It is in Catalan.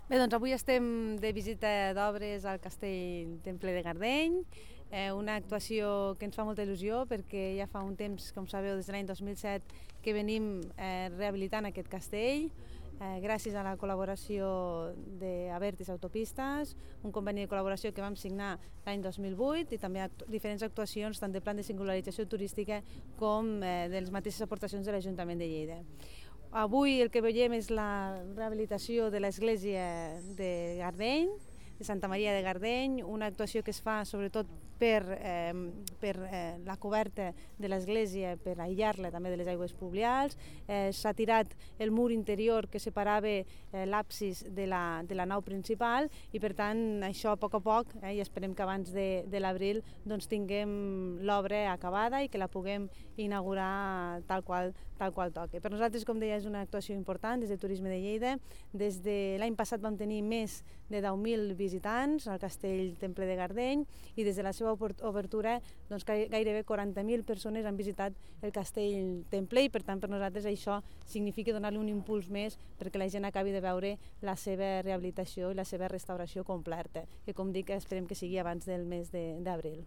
Bé, doncs avui estem de visita d'obres al Castell Temple de Gardeny, una actuació que ens fa molta il·lusió perquè ja fa un temps, com sabeu, des de l'any 2007 que venim rehabilitant aquest castell, gràcies a la col·laboració d'Abertis Autopistes, un conveni de col·laboració que vam signar l'any 2008 i també diferents actuacions tant de plan de singularització turística com de les mateixes aportacions de l'Ajuntament de Lleida. Avui el que veiem és la rehabilitació de l'església de Gardeny, de Santa Maria de Gardeny, una actuació que es fa sobretot per la coberta de l'església, per aïllar-la també de les aigües pluvials. S'ha tirat el mur interior que separava l'absis de la nau principal i per tant això a poc, i esperem que abans de l'abril doncs, tinguem l'obra acabada i que la puguem inaugurar tal qual toca. Per nosaltres, com deia, és una actuació important des de Turisme de Lleida. Des de l'any passat vam tenir més de 10.000 visitants al Castell Temple de Gardeny i des de la seva obertura doncs, gairebé 40.000 persones han visitat el Castell Temple i per tant per nosaltres això significa donar-li un impuls més perquè la gent acabi de veure la seva rehabilitació i la seva restauració completa, que com dic esperem que sigui abans del mes d'abril.